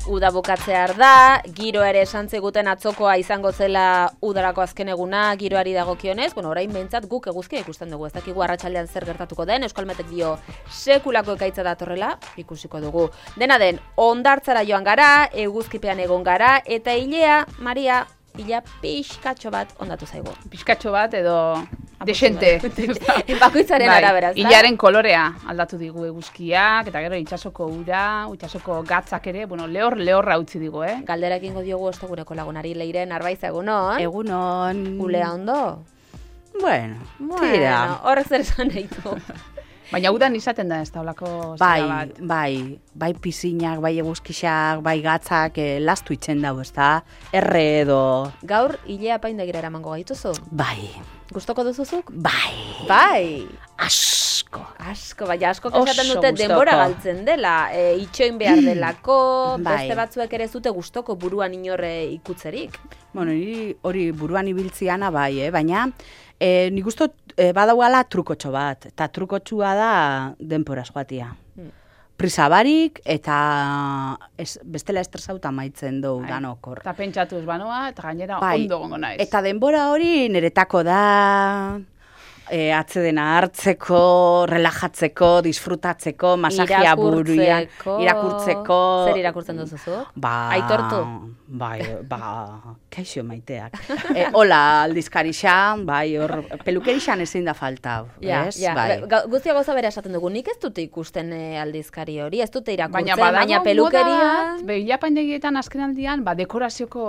uda bukatzear da, giro ere esan ziguten atzokoa izango zela udarako azken eguna giroari dagokionez, orain behintzat guk eguzkia ikusten dugu, ez dakigu arratsaldean zer gertatuko den, Euskalmetek dio sekulako ekaitza datorrela, ikusiko dugu. Dena den, hondartzara joan gara, eguzkipean egon gara, eta hilea, Maria, ila pixkatxo bat ondatu zaigu. Pixkatxo bat edo desente. Bakoitzaren arabera, ez da? Hilaren kolorea aldatu digu eguzkiak, eta gero itsasoko ura, itsasoko gatzak ere, lehorra utzi digu, Galdera egingo diogu ostegureko lagunari Leiren Arbaiz, egunon? Egunon. Ulea ondo? Bueno, tira. Horrek zer esan nahi du. Baina udan izaten da ez da olako zera bat. Bai pisinak, bai eguzkixak, bai gatzak, lastu itzen dago, ez da? Erre edo... Gaur, hilea apaindegira eramango gaituzu? Bai. Gustoko duzuzuk? Bai. Asko, baina asko esaten dute denbora galtzen dela, itxoin behar delako, beste batzuek ere zute gustoko buruan inorre ikutzerik. Bueno, hori buruan ibiltziana bai, baina nik uste badaugala trukotxo bat, eta trukotxua da denporaz joatia. Prisa barik, eta bestela estresauta maitzen dugu danokor. Eta pentsatuz banoa, eta gainera ondo gongo naiz. Eta denbora hori niretako da... atzedena hartzeko, relajatzeko, disfrutatzeko, masajia buruan, irakurtzeko. Zer irakurtzen duzuzu? Aitortu? Kaixo maiteak. Hola aldizkarixa, hor pelukerixan ezin da falta. Guztia gauza bera esaten dugu, nik ez dute ikusten aldizkari hori, ez dute irakurtzen, baina pelukeria... Ilapaindegietan azkenaldian, dekorazioko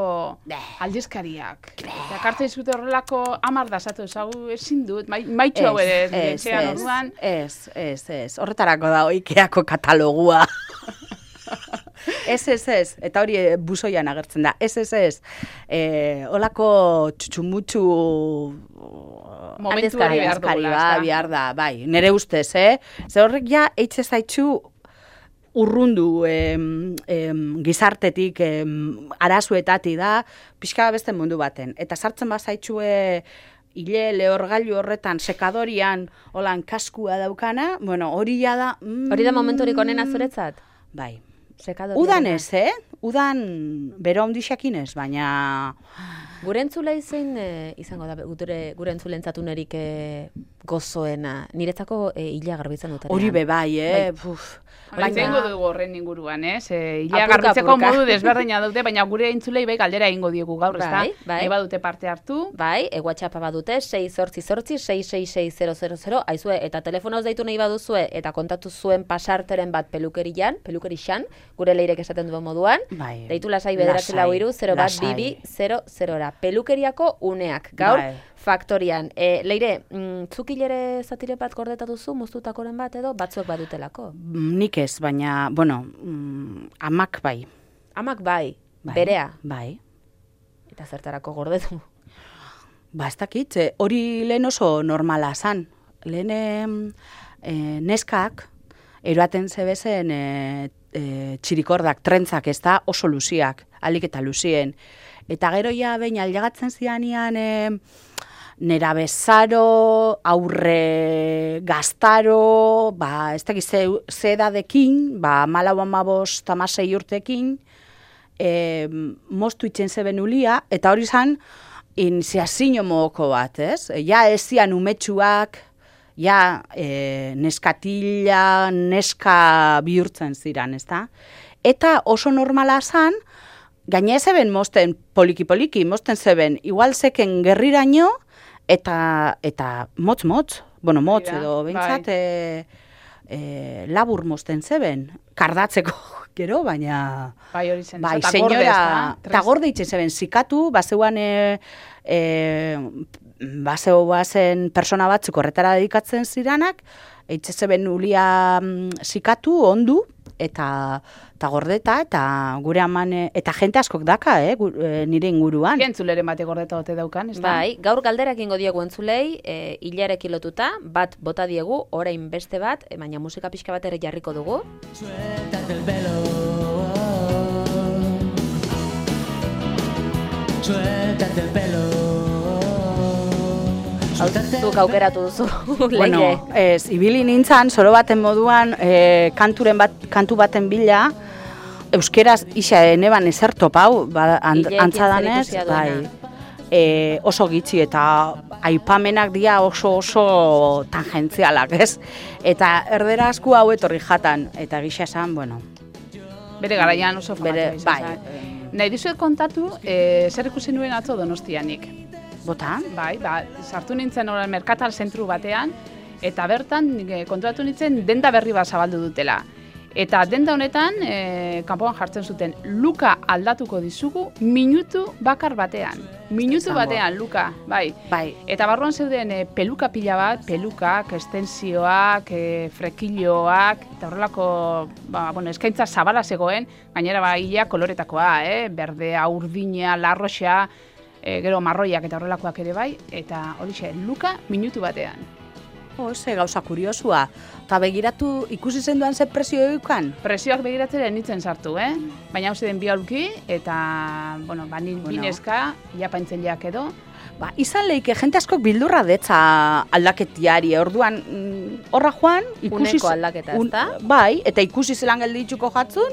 aldizkariak. Jakartzen zute horrelako 10 dasatu ezagu ezin dut, maitxu hau ere, etxean orduan. Ez. Horretarako da Ikeako katalogua. Ez. Eta hori buzoian agertzen da. Ez. Olako txutxumutxu... Momentu hori behar da. Bai, nire ustez, Ze horrek ja, eitze zaitxu urrundu gizartetik, arazuetati da, pixka beste mundu baten. Eta sartzen bazaitxue... Ile lehorgailu horretan, sekadorian, holan kaskua daukana, hori da... Hori da momenturik onena zuretzat? Bai. Udan ez, Udan bero ondixakin ez, baina... Gure entzulei zein izango da, gure entzuleentzatunerik gozoena. Niretzako hilea garbitzen dutera. Hori bai, Baina dugu horren inguruan, hilea garbitzeko modu desberdina dute, baina gure entzulei bai galdera egingo diegu gaur, ez da? Nahi badute parte hartu. Bai, WhatsAppa badute, 688-666-000, aizue, eta telefonoz deitu nahi baduzue, eta kontatu zuen pasarteren bat pelukerixan, gure Leirek esaten duen moduan, deitu lasai 944-012-00. Pelukeriako uneak, gaur, faktorian. Leire, zuk hilere zatire bat gordeta duzu, moztutakoren bat edo, batzuek badutelako? Nik ez, baina, amak bai. Amak bai? Berea? Bai. Eta zertarako gordetu? Ez dakit, hori lehen oso normala zan. Lehen neskak, eroaten zebezen txirikordak, trentzak, ez da oso luziak, alik eta luzien. Eta gero ja behin aldagatzen zianian nera bezaro, aurre gaztaro, ez dakiz zedadekin, 14-15 urtekin, moztu itzen zeben ulia, eta hori zan, zeazino mogoko bat, ez? Ja ez zian umetxuak, ja neskatila, neska bihurtzen ziren, ez da? Eta oso normala zan, gaina zeben mosten poliki-poliki, mosten zeben, igual zeken gerriraino, eta motz, motz edo, bentsat, labur mosten zeben, kardatzeko gero, baina... Bai, hori zen, eta gorde itzen zeben, zikatu, bazen persona batzuk horretara dedikatzen ziranak, eitze zeben ulia zikatu, ondu, eta gordeta, eta gure aman, eta jente askok daka, nire inguruan. Entzuleren bate gordeta ote daukan, ez da? Bai, gaur galderak ingo diegu entzulei, hilarekin lotuta, bat bota diegu, orain beste bat, baina musika pixka bat ere jarriko dugu. Suéltate el pelo, suéltate el pelo. Zuk aukeratu duzu, ibili nintzan, zoro baten moduan, kantu baten bila, euskeraz isa neban ezer topau, antzadanez, oso gitxi eta aipamenak dira oso tangentzialak, ez? Eta erdera asku hau etorri jatan, eta gisa esan, bueno... Bere garaian oso famatua izan. Bai. Nahi dizuet kontatu, zer ikusi nuen atzo Donostianik. Bota? Bai, sartu nintzen merkatal zentru batean, eta bertan konturatu nintzen denda berri bat zabaldu dutela. Eta denda honetan, kanpoan jartzen zuten, luka aldatuko dizugu minutu bakar batean. Minutu batean, luka, bai. Eta barruan zeuden peluka pila bat, pelukak, estensioak, frekilloak, eta horrelako, eskaintza zabala zegoen, gainera ia koloretakoa, berdea, urdina, larroxa, gero marroiak eta horrelakoak ere bai, eta horixe, luka minutu batean. Ze gauza kuriosua. Eta begiratu ikusi zenduan ze presio eukan? Presioak begiratzera nintzen sartu, Baina hauze den bi aulki, eta, bineska, iapaintzen jak edo. Izan leike, jente askok bildurra detza aldaketiari, orduan horra joan, uneko aldaketa, ez da? Bai, eta ikusi zelan gelditzuko jatzun,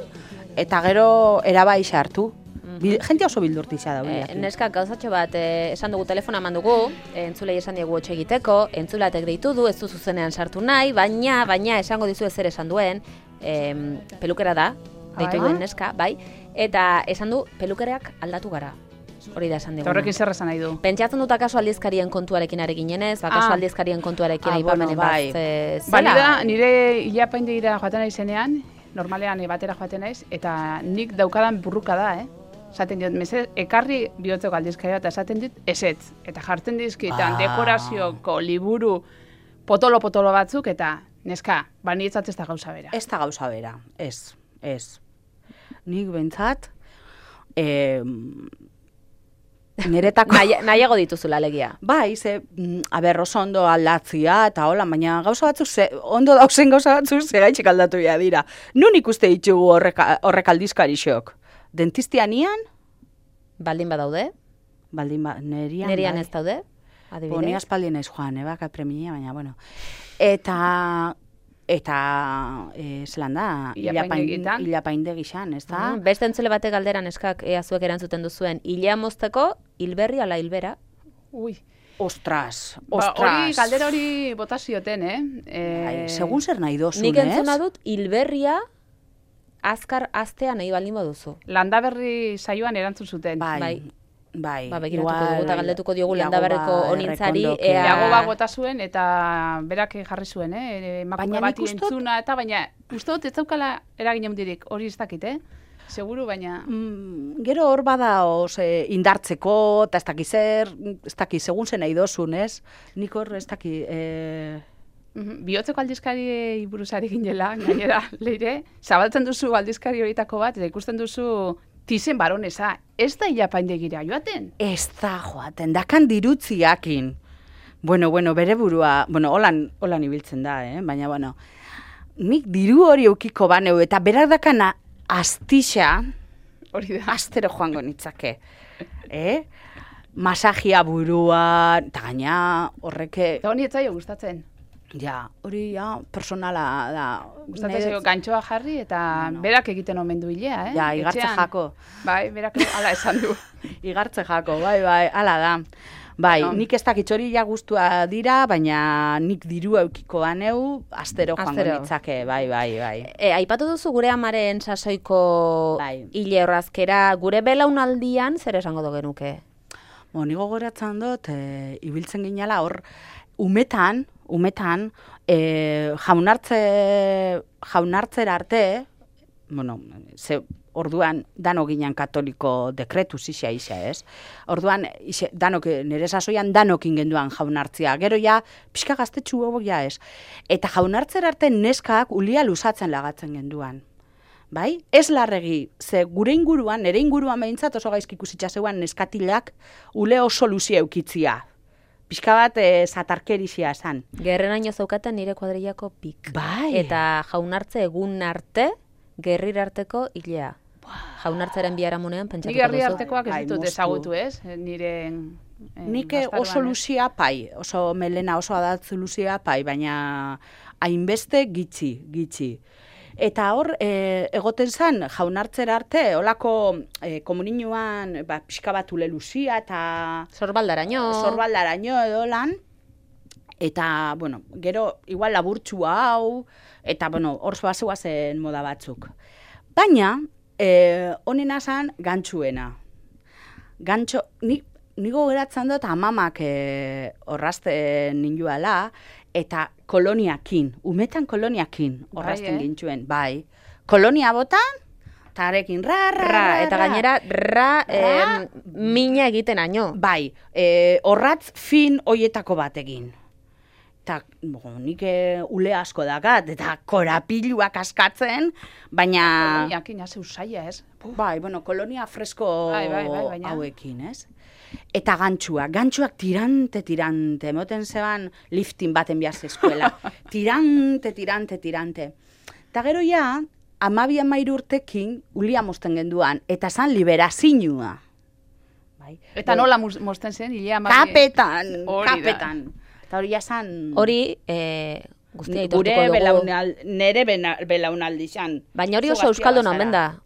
eta gero erabai sartu. Jente oso bildurtizia da. Neska, gauzatxo bat, esan dugu telefona eman dugu, entzulei esan diegu hotxe egiteko, entzulatek deitu du, ez du zuzenean sartu nahi, baina esango dizu zer esan duen, pelukera da, deitu duen neska, bai, eta esan du pelukereak aldatu gara. Hori da esan diguna. Horrekin zer esan nahi du? Pentsatzen dut akaso aldizkarien kontuarekin ari ginenez, akaso aldizkarien kontuarekin aipamenen bat zela. Balida, nire ilapaindegira joaten nahi zenean, normalean batera joaten naiz, eta nik daukadan burruka da, Esaten diot, ekarri bihotzeko aldizkaria eta esaten dit, ezetz. Eta jartzen dizkitan dekorazioko liburu potolo batzuk, eta neska, nietzat ez da gauza bera. Ez da gauza bera, ez. Nik bentsat, niretako... Nahiago dituzula alegia. Bai, oso ondo aldatzia, eta hola, baina gauza batzuk, ondo dauzen gauza batzuk, gaitxik aldatu dira. Nun ikuste ditugu horrek aldizkarixok? Dentistianian? Baldin badaude? Nerian ez daude? Adibidez? Ni aspaldi naiz joan, baka premia, baina, bueno. Eta zelan da, hilapainde gixan, ez da? Beste entzule batek galderan eskak zuek erantzuten duzuen, hilea mozteko, hilberri ala hilbera? Ui. Ostras. Galdera hori bota zioten, segun zer nahi dozun, nik entzuna dut, hilberria azkar astea nahi baldin baduzu. Landaberri saioan erantzun zuten. Bai. Begiratuko dugu eta galdetuko diogu Landaberriko onintzari. Iago bota zuen eta berak jarri zuen, emakume bati entzuna, eta baina uste dut ez daukala eragin handirik, hori ez dakit, Seguru, baina... Gero hor bada indartzeko, eta ez dakit, segun zen nahi dozun, ez? Nik hor ez dakit... Bihotzeko aldizkari buruzari ginela, gainera, leire, zabaltzen duzu aldizkari horietako bat, eta ikusten duzu tizen baronesa, ez da hilapaindegira joaten? Ez da joaten, dakan dirutziakin. Bueno, bere burua, holan ibiltzen da, baina, nik diru hori eukiko baneu, eta berak dakana astixa, hori da, astero joango nitzake, masajia burua, eta gaina horreke... Eta honi etzaio gustatzen. Ja, hori personala da. Gustatzen zaio gantxoa jarri eta berak egiten omen du hilea, Ja, igartze jako. Bai, berak hala esan du. Igartze jako, bai, hala da. Bai, nik ez dakit hori ja gustua dira, baina nik diru eukiko baneu, astero joango nitzake, bai. Aipatu duzu gure amaren sasoiko hile horrazkera, gure belaunaldian zer esango do genuke? Nigo goratzen dut, ibiltzen ginala hor, umetan, jaunartzera arte, orduan dano ginen katoliko dekretu zizia ez? Orduan, danok, nire sasoian danok ingenduan jaunartzia. Gero ja, pixka gaztetxu hobok ja ez. Eta jaunartzera arte neskak ulia lusatzen lagatzen genduan. Bai? Ez larregi, ze gure inguruan, nire inguruan behintzat oso gaizki ikusitza zeuan neskatilak ule oso luzia eukitzia. Pixka bat zatarkerixia esan. Gerrenaino zaukaten nire kuadrillako pik. Bai. Eta jaunartze egun arte, gerrir arteko hilea. Jaunartzaren biharamunean pentsatuko duzu. Nik gerri artekoak ez ditut ezagutu, ez? Nik oso luzia pai, oso melena oso adatzu luzia pai, baina hainbeste gitxi. Eta hor, egoten zan, jaunartzera arte, holako komuninuan, pixka bat uleluzia eta... Sorbaldaraino edo lan. Eta, bueno, gero, igual laburtxua hau, eta, bueno, hor zen moda batzuk. Baina, honena zan, gantxuena. Gantxo, nigo geratzen dut amamak horrazten ninduala, eta koloniakin, umetan koloniakin horrazten gintxuen, bai. Kolonia botan, eta arekin eta gainera mina egiten aino. Bai, horratz fin hoietako bat egin. Eta nik ule asko dakat, eta korapiluak askatzen, baina... Koloniakin, hase usaia, ez? Bai, bueno, kolonia fresko hauekin, ez? Eta gantxuak tirante, emoten zeban lifting baten bihaz eskuela. tirante. Eta gero ja, 12-13 urtekin, ulia mosten genduan, eta zan liberazinua. Bai. Eta nola mosten zen, hilea Kapetan. Eta hori jasan... Hori, guztia itortuko dugu. Nere belaunaldi xan. Baina hori oso euskaldun omen da.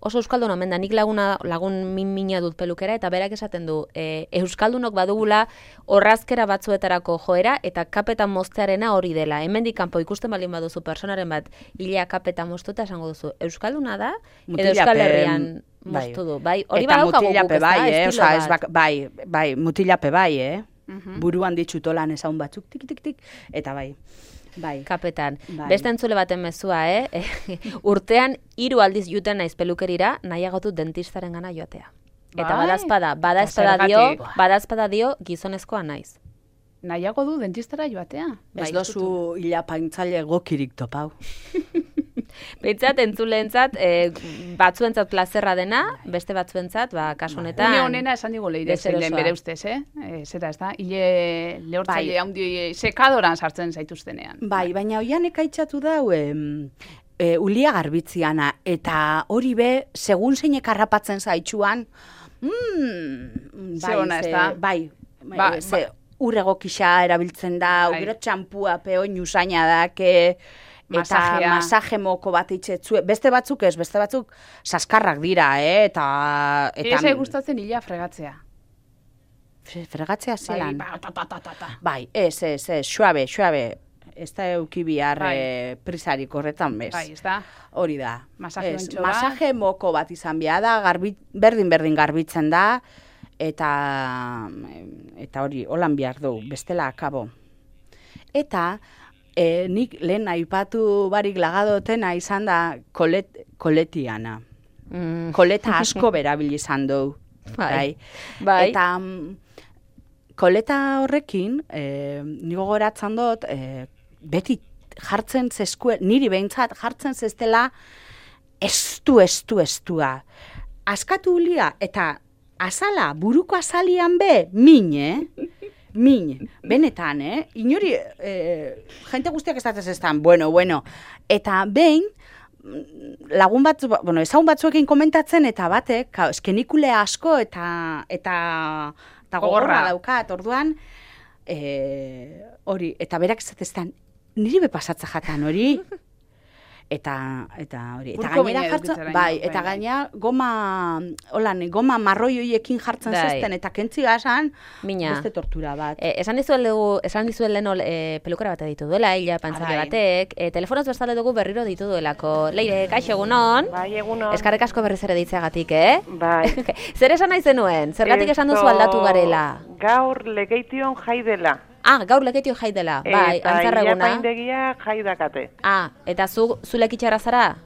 Nik lagun mina dut pelukera, eta berak esaten du, euskaldunok badugula horrazkera batzuetarako joera, eta kapetan moztearena hori dela. Hemendik kanpo ikusten balin baduzu personaren bat, hilea kapetan moztuta esango duzu, euskalduna da, edo Euskal Herrian moztu du. Hori badaukagu guk, ez da, bai, mutilape bai, buruan ditzutolan ezaun batzuk, tik, eta bai. Kapetan. Beste entzule baten mezua, urtean 3 aldiz juten naiz pelukerira, nahiagotu dentistaren gana joatea. Eta badazpada dio gizonezkoa naiz. Nahiago du dentistara joatea? Ez dozu hilapaintzaile gokirik topau. Beitzat, entzuleentzat, batzuentzat plazerra dena, beste batzuentzat, kasu honetan... Une honena esan digu leire zeilen bere ustez, Zera, ez da? Hile lehortzaile handi sekadoran sartzen zaituztenean. Bai, baina oian ekaitxatu dau, ulia garbitziana, eta hori be, segun zeinek harrapatzen zaitxuan, bai, urregokisa erabiltzen da, gero txampua peoin usaina dake, eta masaje moko bat itxetzue. Beste batzuk ez, beste batzuk saskarrak dira, eta... Ez gustatzen hila fregatzea. Fregatzea zelan? Bai, ez, suabe. Ez da eukibihar prisarik horretan bez. Bai, ez da. Hori da. Masaje moko bat izan behar da, berdin garbitzen da, eta hori, holan behar du, bestela akabo. Eta... nik lehen aipatu barik lagadotena izan da koletiana. Koleta asko berabil izan du. Bai. Eta koleta horrekin, nigo goratzen dut, beti jartzen zeskue, niri behintzat jartzen zestela estua. Askatu ulia, eta azala, buruko azalian be, min, benetan, inori, jente guztiak ez bueno, eta behin, lagun bat, ezagun batzuekin komentatzen, eta batek, eskenikule asko, eta gogorra daukat, orduan, hori, eta berak ez niri bepasatza jatan, hori, eta hori, eta gainera jartzen, bai, eta gainera goma marroi horiekin jartzen zezten, eta kentzi gazan, beste tortura bat. Esan dizuen lehen pelukara bat ditu duela, hila pantzaile batek, telefonoz bestale dugu berriro ditu duelako. Leire, kaixo egunon? Bai, egunon. Eskarrek asko berriz ere ditzeagatik, Bai. Zer esan nahi zenuen? Zergatik esan duzu aldatu garela? Gaur legeition jai dela. Gaur lekeitio jai dela, bai, antzarra eguna. Eta ilapaindegia jai dakate. Eta zu lekitxarra zara?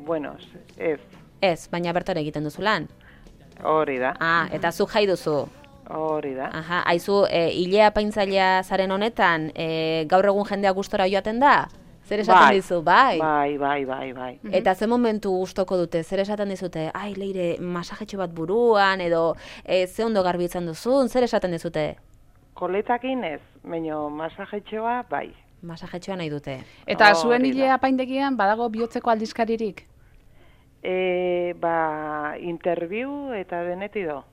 Bueno, ez. Ez, baina bertan egiten duzu lan? Hori da. Eta zu jai duzu? Hori da. Haizu, hilea paintzailea zaren honetan, gaur egun jendea gustora joaten da? Zer esaten dizu, bai? Bai. Eta ze momentu gustoko dute, zer esaten dizute? Leire, masajetxo bat buruan, edo ze ondo garbitzen duzun, zer esaten dizute? Koletakin ez, baina masajetxoa bai. Masajetxoa nahi dute. Eta zuen hilea apaindegian badago bihotzeko aldizkaririk? Interview eta denetido.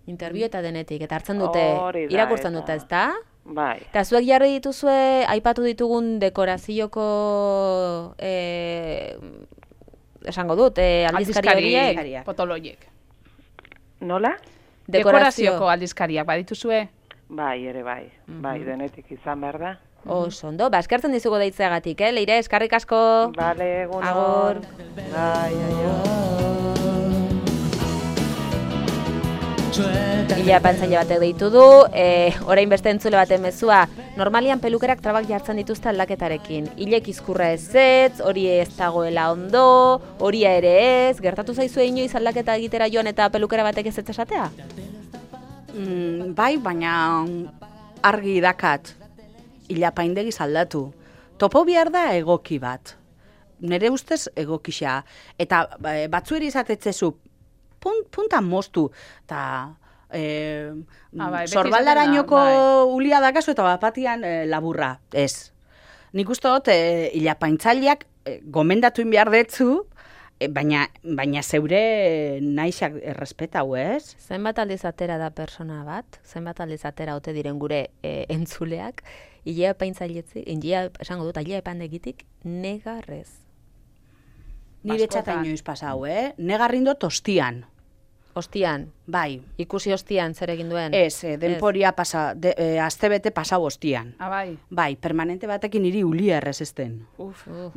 Interview eta denetik, eta hartzen dute, irakurtzen dute, ez da? Bai. Eta zuek jarri dituzue, aipatu ditugun dekorazioko, esango dut, aldizkari horiek? potoloiek. Nola? Dekorazioko aldizkariak badituzue? Bai, ere bai. Bai, denetik izan behar da. Oso ondo, eskertzen dizugu deitzeagatik, Leire, eskarrik asko. Bale, egun Agur. Bai, Ila pantzaile batek deitu du, orain beste entzule baten mezua, normalian pelukerak trabak jartzen dituzte aldaketarekin. Ilek izkurra ezetz, hori ez dagoela ondo, horia ere ez, gertatu zaizue inoiz aldaketa egitera joan eta pelukera batek ez esatea? Bai, baina argi dakat, ilapaindegiz aldatu. Topo behar da egoki bat. Nere ustez egokisa. Eta batzueri izatetzezu, puntan moztu, eta sorbaldarainoko ulia dakazu eta bapatian laburra, ez. Nik uste dut, ilapaintzaileak gomendatu behar detzu, baina zeure naixak errespetau, ez? Zenbat aldiz atera da persona bat, zenbat aldiz atera ote diren gure entzuleak, ilea paintzailetzi, esango dut, ilea epandegitik, negarrez. Nire txata inoiz pasau, negarrindo tostian. Ostian? Bai. Ikusi ostian zer egin duen? Ez, denporia astebete pasau ostian. Bai. Bai, permanente batekin niri ulia errezesten.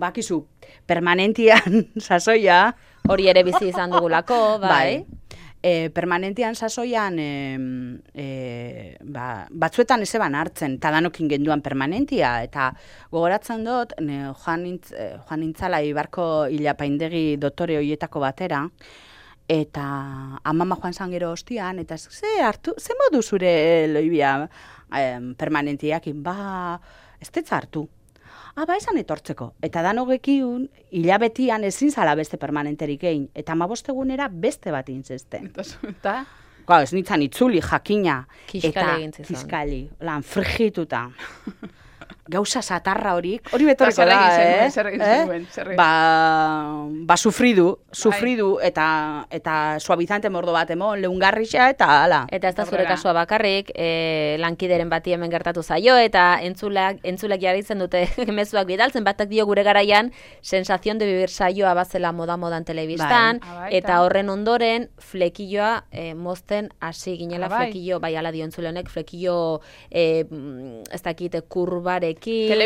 Bakizu, permanentian sasoia... Hori ere bizi izan dugulako, bai. Permanentian sasoian batzuetan ez eban hartzen, eta danokin genduan permanentia, eta gogoratzen dut, joan nintzala Ibarko ilapaindegi doktore hoietako batera, eta amama joan zan gero ostian, eta ze modu zure loibia permanentiakin, ez tetza hartu. Esan etortzeko. Eta danogekiun, hilabetian ezin zala beste permanenterik egin, eta 15 egunera beste bat intzesten. Eta? Ez nintzen itzuli, jakina. Kiskali egin zizan. Kiskali, frigituta. Gauza satarra hori betorreko da, Zer egin zenuen? Sufridu eta suavizante mordo bat emon, leungarrixa eta hala. Eta ez da zure kasua bakarrik, lankideren bati hemen gertatu zaio, eta entzulek jarritzen dute mezuak bidaltzen, batak dio gure garaian, sensazion de vivir saioa bazela modan telebistan, eta horren ondoren, flekilloa mozten hasi ginela flekillo, bai ala dio entzule honek, flekillo ez dakite kurbarek hori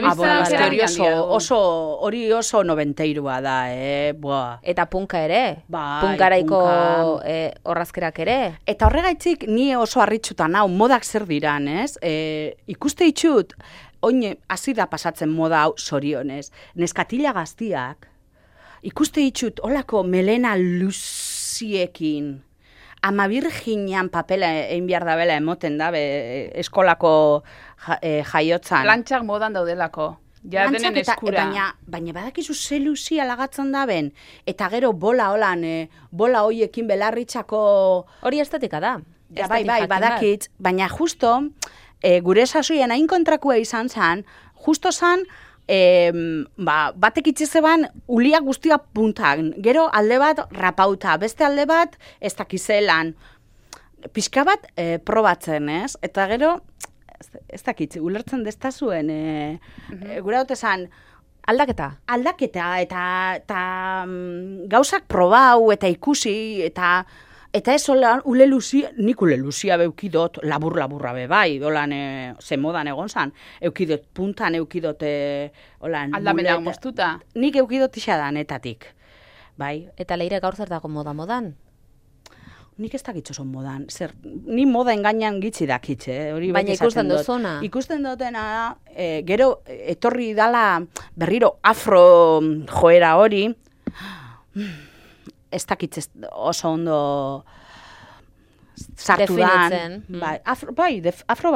oso nobenteirua da, Eta punka ere, punkaraiko horrazkerak ere. Eta horregaitzik ni oso harritxutan hau, modak zer diran, ez? Ikuste itxut, oine, hasi da pasatzen moda hau zorionez, neskatila gaztiak, ikuste itxut, olako melena luziekin, ama virginan papela egin behar da bela emoten da, eskolako jaiotzan. Plantxak modan daudelako. Ja denen eskura. Baina badakizu ze luzia lagatzen da ben, eta gero bola hoiekin belarritxako... Hori estetika da. Ja, bai, badakitz, baina justo, gure sasoian hain kontrakua izan zen, justo zen, batek itxezeban ulia guztia puntan, gero alde bat rapauta, beste alde bat ez dakizelan, pixka bat probatzen, ez? Eta gero, ez dakitzi, ulertzen destazuen, gura dut esan, aldaketa, eta gauzak probau, eta ikusi, eta ez holan, nik ule luzia beukidot, laburra be bai, holan, ze modan egon zan, eukidot puntan, eukidot, holan... Aldamenak moztuta? Nik eukidot isadanetatik, bai. Eta Leire gaur zer dago modan? Nik ez dakitzo son modan, ni moda engainan gitzi dakitze, hori baina ikusten duzuna. Ikusten dutena, gero etorri dala berriro afro joera hori, ez dakitz oso ondo sartu dan. Afro bai. Afro,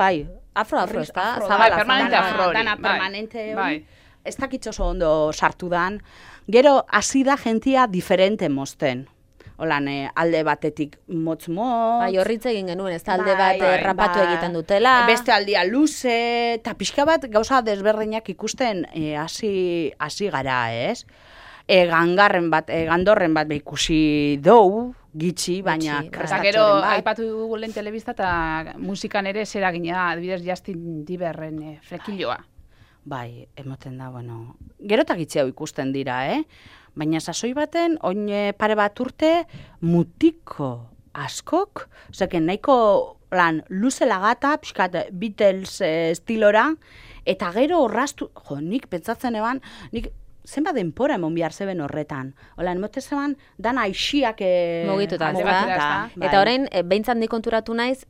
ez da? Zabala, permanente afro hori. Dana permanente hori. Ez dakitz oso ondo sartu dan. Gero, hasi da jentia diferente mozten. Holan, alde batetik motz. Bai, horritze egin genuen, ez da alde bat rapatu egiten dutela. Beste aldia luze, eta pixka bat gauza desberdinak ikusten hasi gara, ez? Gandorren bat ikusi dou, gitxi, baina Gutxi, bai. Eta krestatxoren gero, bat. aipatu dugu lehen telebista eta musikan ere zeragina, adibidez Justin Bieberren flekiloa. Bai, emoten da, bueno, gero eta gitxi hau ikusten dira, Baina sasoi baten, oin pare bat urte, mutiko askok, oseken nahiko lan luze lagata, pixkat Beatles estilora, eta gero horraztu, nik pentsatzen eban, nik zenbat denpora emon behar zeben horretan. Hola, emote zeban, dan aixiak Mugituta, alde ezta? batera, ezta? Eta orain, behintzat nik konturatu naiz,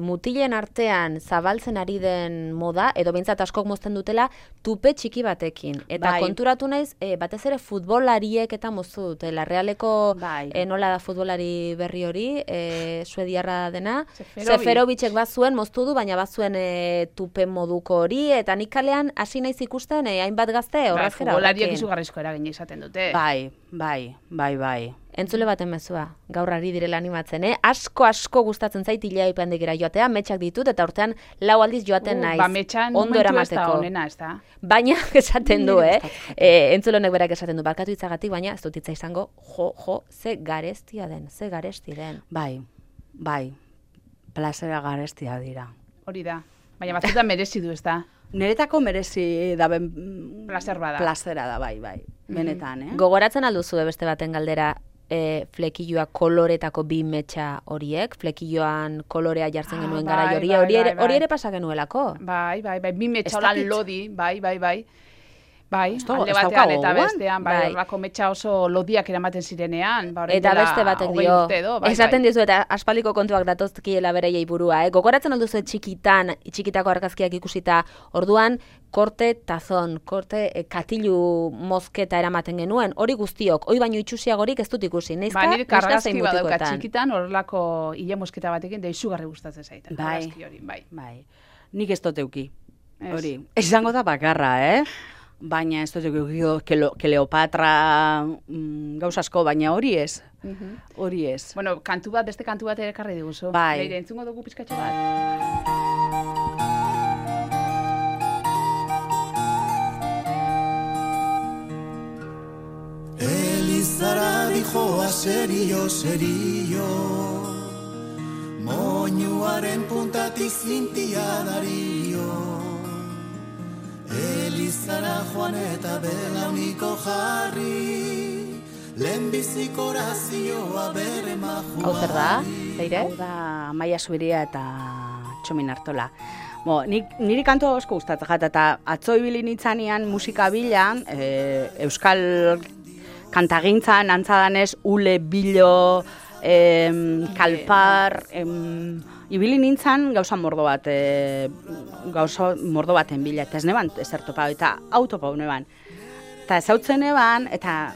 mutilen artean zabaltzen ari den moda, edo behintzat askok mozten dutela, tupe txiki batekin. Eta Bai. konturatu naiz, batez ere futbolariek eta moztu dutela. Realeko Bai. nola da futbolari berri hori, suediarra dena. Seferovic. Seferovicek bazuen moztu du, baina bazuen tupe moduko hori, eta nik kalean hasi naiz ikusten hainbat gazte horrazkera Futbolariak horrekin. izugarrizko eragina izaten dute. Bai. Entzule baten mezua, gaur ari direla animatzen, Asko gustatzen zait ileaipandegira joatea, metxak ditut, eta urtean 4 aldiz joaten naiz. Metxan ondo momentu ez da eramateko. onena, ez da? Baina esaten du, Niri gustatzen entzule honek berak esaten du, barkatu itzagatik, baina ez dut hitza izango, ze gareztia den, ze garesti den. Bai, plazera garestia dira. Hori da. Baina batzutan merezi du, ez da? Niretako merezi daben Plazer bada. plazera da, bai, benetan, Gogoratzen alduzu beste baten galdera, flekilloa koloretako bi metxa horiek, flekilloan kolorea jartzen genuen bai, gara hori, bai, hori bai. ere pasa genuelako. Bai, bi Ez metxaola dakit. lodi, bai. Bai, Ez alde ez batean daukagu eta gogoan? bestean, bai, Bai. horrako metxa oso lodiak eramaten zirenean. Ba, orain Eta dela beste batek 20 dio, urte edo, bai, esaten bai. dizu eta aspaldiko kontuak datozkiela bereiei burua, Gogoratzen alduzu txikitako argazkiak ikusita, orduan, korte tazon, korte katilu mozketa eramaten genuen, hori guztiok, hori baino itxusiagorik ez dut ikusi, neizka, Ba, nire neska kargazki zein badauka mutikoetan. txikitan, horrelako ile mosketa batekin, da izugarri gustatzen zaiten. Bai. Argazki hori, bai. Bai, nik ez dut euki. Ez. Hori, izango da bakarra, Baina ez dut euki Kleopatra gauz asko, baina hori ez. Hori ez. Bueno, beste kantu bat ere ekarri diguzu. Bai. Leire, entzungo dugu pizkatxo bat. Elizara dijoa serio, moñuaren puntatik zintia dario. Elizara joan eta belauniko jarri, lehenbiziko orazioa bere maju. Hau zer da, Leire? Hau da Maia Zubiria eta Txomin Artola. Niri kantu asko gustatzen jata, eta atzo ibili nintzanean musika bilan, euskal kantagintzan antzadanez ule, bilo, kalpar, ibili nintzan gauza mordo baten bila, eta ez neban ezer topau, eta autopau neban. Eta ezautzen neban, eta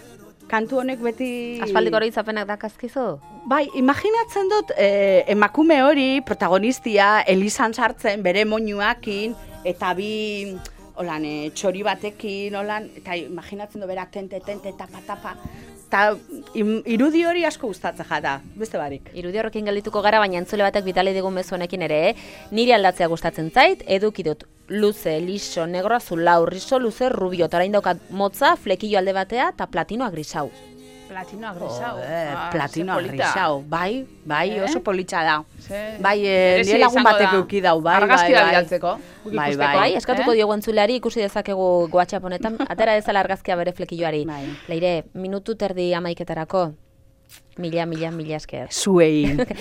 kantu honek beti... Aspaldiko hori izapenak dakazkizu? Bai, imaginatzen dut emakume hori protagonistia Elizan sartzen bere moñuakin eta bi holan txori batekin holan eta imaginatzen dut berak tente tapa eta irudi hori asko gustatzen jata, beste barik. Irudi horrekin geldituko gara, baina entzule batek bitali digun mezu honekin ere, niri aldatzea gustatzen zait, eduki dut luze, liso, negro, azul, lau, riso, luze, rubio, eta orain daukat motza, flekillo alde batea, eta platinoa grisau. Platinoa grisau. Platinoa grisau, bai, oso politxa da. Bai, Berezia nire lagun izango batek da. euki dau, bai. Argazki da bidaltzeko. Bai, Bai, eskatuko diogu entzuleari, ikusi dezakegu WhatsApp honetan, atera dezala argazkia bere flekilloari. Bai. Leire, minutu terdi 11:00 mila esker. Zuei.